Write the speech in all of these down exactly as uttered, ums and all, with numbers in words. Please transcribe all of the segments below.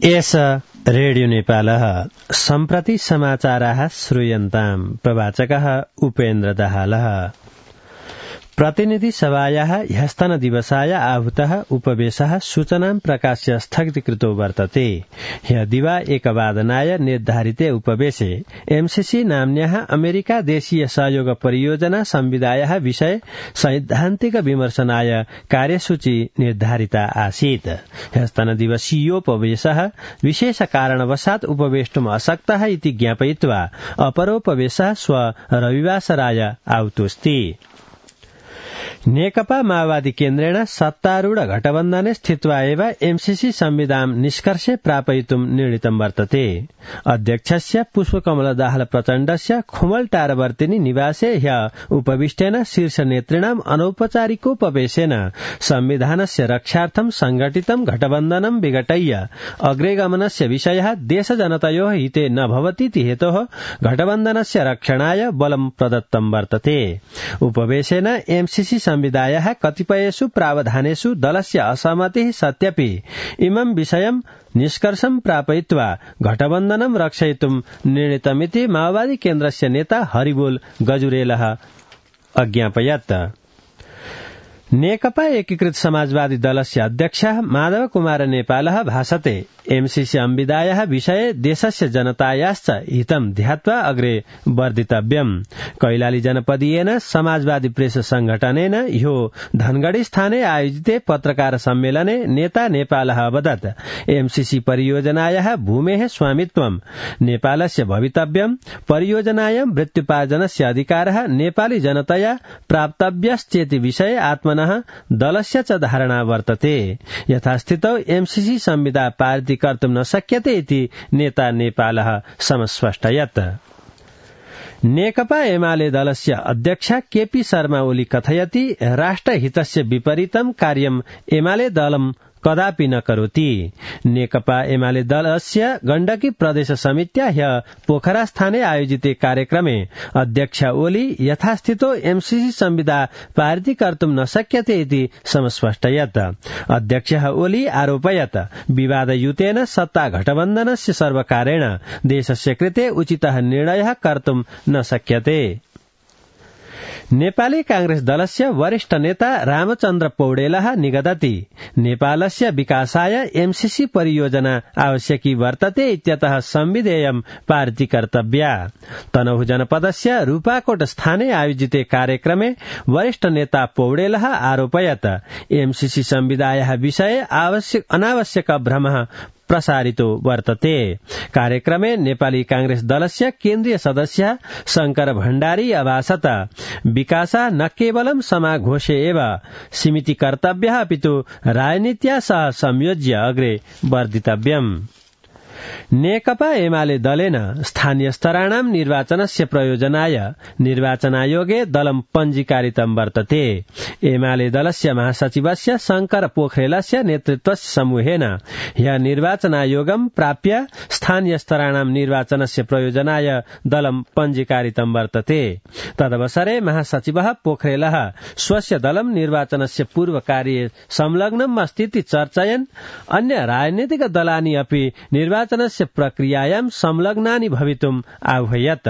S radio नेपालः सम्प्रति समाचाराः श्रूयन्ताम्। प्रवाचकः उपेन्द्र दाहालः। प्रतिनिधि सभायाः ह्यस्तन दिवसाय आहूतः उपवेशः सूचनां प्रकाश्य स्थगितीकृतो वर्तते। ह्य दिवा एकवादनाय निर्धारिते उपवेशे एमसीसी नाम्न्याः अमेरिका देशीय सहयोग परियोजना संविदायाः विषय सैद्धान्तिक विमर्शनाय कार्यसूची निर्धारिता आसीत्। ह्यस्तन दिवसीयोपवेशः विशेष कारणवशात् उपवेष्टुम् अशक्तः इति ज्ञापयित्वा अपरोपवेशः श्व रविवासराय आहुतोऽस्ति। नेकपा माओवादी केन्द्रेण सत्तारूढ गठबन्धने स्थित्वा एव एमसीसी संविधान निष्कर्षे प्रापयितुं निर्णीतं वर्तते। अध्यक्षस्य पुष्पकमल दाहाल प्रचण्डस्य खुमलटारवर्तिनी निवासे ह्य उपविष्टेन शीर्ष नेतृणाम् अनौपचारिकोपवेशेन संविधानस्य रक्षार्थं संघटितं गठबन्धनं विघटय्य अग्रेगमनस्य विषयः देशजनतयोः हिते न भवतीति हेतोः गठबन्धनस्य रक्षणाय बलं प्रदत्तं वर्तते। उपवेशेन एमसीसी संविदायाः कतिपयेषु प्रावधानेषु दलस्य असहमतिः सत्यपि इमं विषयं निष्कर्षं प्रापयित्वा गठबन्धनं रक्षयितुं निर्णीतमिति माओवादी केन्द्रस्य नेता हरिबोल गजुरेलः अज्ञापयत्। नेकपा एकीकृत समाजवादी दलस्य अध्यक्षः माधव कुमार नेपालः भाषते एमसीसी संविदायाः विषये देशस्य जनतायाश्च हितं ध्यात्वा अग्रे वर्धितव्यम्। कैलाली जनपदीयेन समाजवादी प्रेस संघटनेन ह्यो धनगढ़ी स्थाने आयोजिते पत्रकार सम्मेलने नेता नेपालः अवदत् एमसीसी परियोजनायाः भूमेः स्वामित्वं नेपालस्य भवितव्यम्, परियोजनायां वृत्त्युपार्जनस्य अधिकारः नेपाली जनतया प्राप्तव्यश्चेति विषये आत्मनः दलस्य च धारणा वर्तते। यथास्थितौ एमसीसी संविदा पारित कर्तुं न शक्यते इति नेता नेपालः समस्पष्टयत्। नेकपा एमाले दलस्य अध्यक्ष केपी शर्मा ओली कथयति राष्ट्रहितस्य विपरीतं कार्यम् एमाले दलं कदापि न करोति। नेकपा एमाले दलस्य गण्डकी प्रदेश समित्या ह्य पोखरा स्थाने आयोजिते कार्यक्रमे अध्यक्ष ओली यथास्थितो एमसीसी संविदा पारित कर्तुं न शक्यते इति समस्पष्टयत्। अध्यक्षः ओली आरोपयत् विवादयुतेन सत्ता गठबन्धनस्य सर्वकारेण देशस्य कृते उचितः निर्णयः कर्तुं न शक्यते। नेपाली कांग्रेस दलस्य वरिष्ठ नेता रामचन्द्र पौडेलः निगदति नेपालस्य विकासाय एमसीसी परियोजना आवश्यकी वर्तते इत्यतः संविधेयं पारित कर्तव्या। तनहुँ जनपदस्य रूपाकोट स्थाने आयोजिते कार्यक्रमे वरिष्ठ नेता पौडेलः आरोपयत् एमसीसी संविदायाः विषये आवश्यक अनावश्यक भ्रमः प्रसारितो वर्तते। कार्यक्रमे नेपाली कांग्रेस दलस्य केन्द्रीय सदस्य शंकर भण्डारी अभाषत विकासा न केवलं समाघोषे एव सीमिति कर्तव्यः अपितु राजनीत्या सह संयोज्य अग्रे वर्धितव्यम्। नेकपा एमाले दलेन स्थानीय स्तराणां निर्वाचनस्य प्रयोजनाय निर्वाचन आयोगे दलं पञ्जीकारितं वर्तते। एमाले दलस्य महासचिवस्य शंकर पोखरेलस्य नेतृत्वस्य समूहेन ह्य निर्वाचन आयोगं प्राप्य स्थानीय स्तराणां निर्वाचनस्य प्रयोजनाय दलं पञ्जीकारितं वर्तते। तदवसरे महासचिवः पोखरेलः स्वस्य दलं निर्वाचनस्य पूर्वकार्ये संलग्नम् अस्तीति चर्चयन् अन्य राजनीतिक दलानि अपि निर्वाचनस्य प्रक्रियायां संलग्नानि भवितुम् आह्वयत्।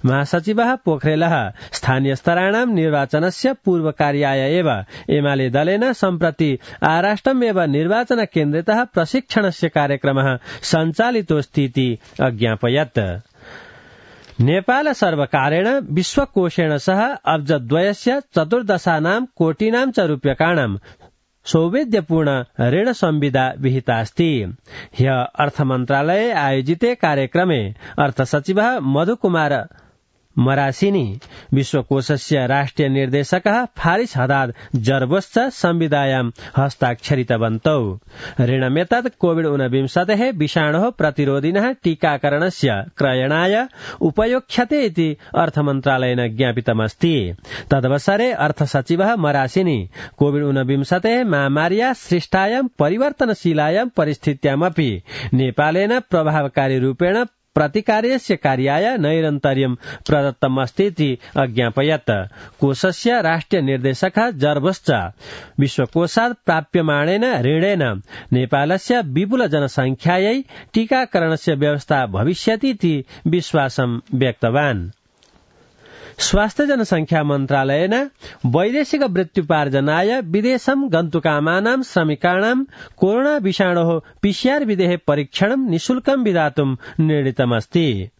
महासचिवः पोखरेलः स्थानीय स्तराणां निर्वाचनस्य पूर्वकार्याय एव एमाले दलेन सम्प्रति आराष्ट्रमेव निर्वाचन केन्द्रतः प्रशिक्षणस्य कार्यक्रमः सञ्चालितोऽस्तीति अज्ञापयत्। नेपाल सर्वकारेण विश्वकोषेण सह अब्जद्वयस्य चतुर्दशानां कोटीनां च रूप्यकाणां सौविध्यपूर्ण ऋण संविदा विहितास्ति। ह्य अर्थमन्त्रालये आयोजिते कार्यक्रमे अर्थसचिवः मधुकुमार मरासिनी विश्वकोषस्य राष्ट्रिय निर्देशकः फारिस हदाद जर्बोश्च संविदायां हस्ताक्षरितवन्तौ। ऋणमेतत् कोविड ऊनविंशतेः विषाणोः प्रतिरोधिनः टीकाकरणस्य क्रयणाय उपयोक्ष्यते इति अर्थमन्त्रालयेन ज्ञापितमस्ति। तदवसरे अर्थसचिवः मरासिनी कोविड ऊनविंशतेः महामार्याः सृष्टायां परिवर्तनशीलायां परिस्थित्यामपि नेपालेन प्रभावकारी रूपेण प्रतिकार्यस्य कार्याय नैरन्तर्यं प्रदत्तमस्तीति अज्ञापयत्। कोषस्य राष्ट्रिय निर्देशकः जर्बश्च विश्वकोषात् प्राप्यमाणेन ऋणेन नेपालस्य विपुल जनसंख्यायै टीकाकरणस्य व्यवस्था भविष्यतीति विश्वासं व्यक्तवान्। स्वास्थ्य जनसंख्या मन्त्रालयेन वैदेशिक वृत्त्युपार्जनाय विदेशं गन्तुकामानां श्रमिकाणां कोरोना विषाणोः पीसीआर विधेः परीक्षणं निःशुल्कं विधातुं निर्णीतमस्ति।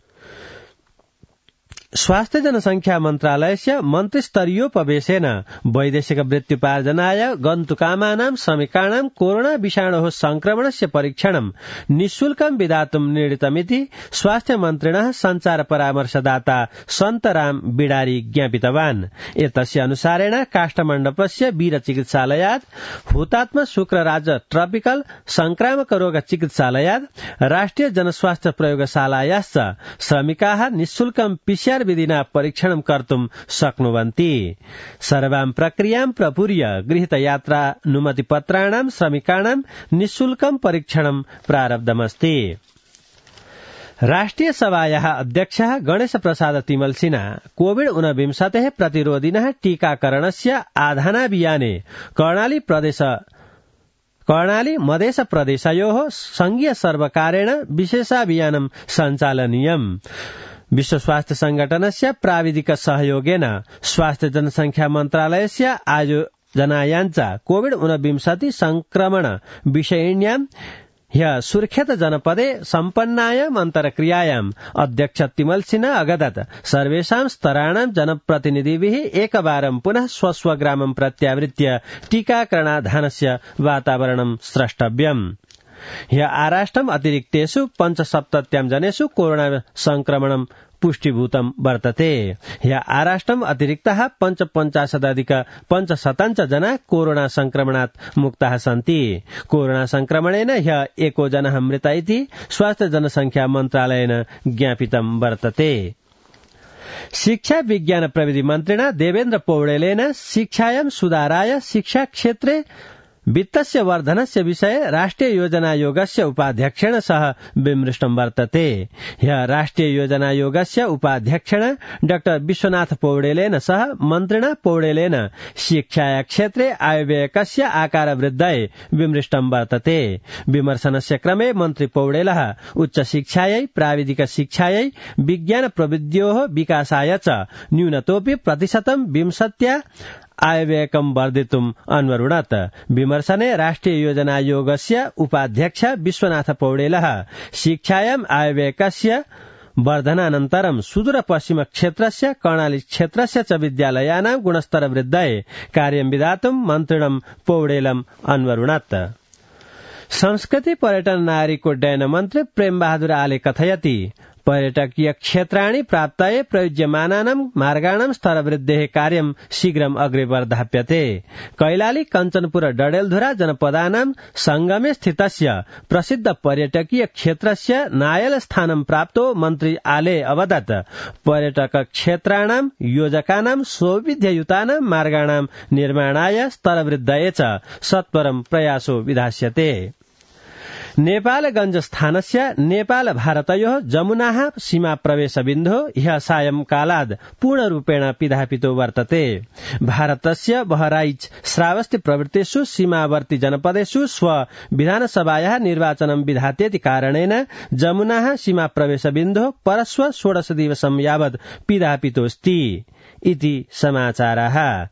स्वास्थ्य जनसंख्या मन्त्रालयस्य मन्त्रिस्तरीयोपवेशेन वैदेशिक वृत्त्युपार्जनाय गन्तुकामानां श्रमिकाणां कोरोना विषाणोः संक्रमणस्य परीक्षणं निःशुल्कं विधातुं निर्णीतमिति स्वास्थ्य मन्त्रिणः सञ्चार परामर्शदाता सन्तराम बिडारी ज्ञापितवान्। एतस्य अनुसारेण काष्ठमण्डपस्य वीर चिकित्सालयात्, हुतात्मा शुक्रराज ट्रपिकल संक्रामक रोग चिकित्सालयात्, राष्ट्रिय जनस्वास्थ्य प्रयोगशालायाश्च श्रमिकाः निःशुल्कं पीसीआर विधिना परीक्षणं कर्तुं शक्नुवन्ति। सर्वां प्रक्रियां प्रपूर्य गृहीतयात्रानुमतिपत्राणां श्रमिकाणां निःशुल्कं परीक्षणं प्रारब्धमस्ति। राष्ट्रिय सभायाः अध्यक्षः गणेश प्रसाद तिमल्सिना कोविड ऊनविंशतेः प्रतिरोधिनः टीकाकरणस्य आधानाभियाने कर्णाली प्रदेश कर्णाली मधेश प्रदेशयोः संघीय सर्वकारेण विशेषाभियानं सञ्चालनीयम्। विश्व स्वास्थ्य संघटनस्य प्राविधिक सहयोगेन स्वास्थ्य जनसंख्या मन्त्रालयस्य आयोजनायाञ्च कोविड ऊनविंशति संक्रमण विषयिण्यां ह्य सुर्खेत जनपदे सम्पन्नायाम् अन्तर्क्रियायाम् अध्यक्ष तिमल्सिना अगदत् सर्वेषां स्तराणां जनप्रतिनिधिभिः एकवारं पुनः स्वस्वग्रामं प्रत्यावृत्य टीकाकरणाधानस्य वातावरणं स्रष्टव्यम्। ह्य आराष्ट्रम् अतिरिक्तेषु पञ्चसप्तत्यां जनेषु कोरोना संक्रमणं पुष्टिभूतं वर्तते। ह्य आराष्ट्रम् अतिरिक्तः पञ्चपञ्चाशदधिक पञ्चशतञ्च जना कोरोना संक्रमणात् मुक्ताः सन्ति। कोरोना संक्रमणेन ह्य एको जनः मृत इति स्वास्थ्य जनसंख्या मन्त्रालयेन ज्ञापितं वर्तते। शिक्षा विज्ञान प्रविधि मन्त्रिणा देवेन्द्र पौडेलेन शिक्षायां सुधाराय शिक्षा क्षेत्रे वित्तस्य वर्धनस्य विषये राष्ट्रिय योजनायोगस्य उपाध्यक्षेण सह विमृष्टं वर्तते। ह्य राष्ट्रिय योजनायोगस्य उपाध्यक्षेण डाक्टर विश्वनाथ पौडेलेन सह मन्त्रिणा पौडेलेन शिक्षाया क्षेत्रे आयव्ययकस्य आकार वृद्धये विमृष्टं वर्तते। विमर्शनस्य क्रमे मन्त्री पौडेलः उच्च शिक्षायै, प्राविधिक शिक्षायै, विज्ञान प्रविध्योः विकासाय च न्यूनतोऽपि प्रतिशतं विंशत्या आयव्ययकं वर्धितुम् अन्वरुणत्। विमर्शने राष्ट्रिय योजनायोगस्य उपाध्यक्ष विश्वनाथ पौडेलः शिक्षायाम् आयव्ययकस्य वर्धनानन्तरं सुदूर पश्चिम क्षेत्रस्य कर्णाली क्षेत्रस्य च विद्यालयानां गुणस्तर वृद्धये कार्यं विधातुं मन्त्रिणं पौडेलम् अन्वरुणत्। संस्कृति पर्यटन नागरिकोड्डयन मन्त्री प्रेम बहादुर आले कथयति पर्यटकीय क्षेत्राणि प्राप्ताय प्रयुज्यमानानां मार्गाणां स्तरवृद्धेः कार्यं शीघ्रम् अग्रे वर्धाप्यते। कैलाली कञ्चनपुर डडेलधुरा जनपदानां संगमे स्थितस्य प्रसिद्ध पर्यटकीय क्षेत्रस्य नायल स्थानं प्राप्तो मन्त्री आले अवदत् पर्यटक क्षेत्राणां योजकानां सौविध्ययुतानां मार्गाणां निर्माणाय स्तरवृद्धये च सत्वरं प्रयासो विधास्यते। नेपालगंज स्थानस्य नेपाल भारतयोः जमुनाः सीमा प्रवेश बिन्दुः ह्यः सायंकालाद् पूर्णरूपेण पिधापितो वर्तते। भारतस्य बहराइच श्रावस्ति प्रवृत्तिषु सीमावर्ती जनपदेषु स्व विधानसभायाः निर्वाचनं विधात्येति कारणेन जमुनाः सीमा प्रवेश बिन्दुः परश्व षोडश दिवसं यावत् पिधापितोऽस्ति इति समाचाराः।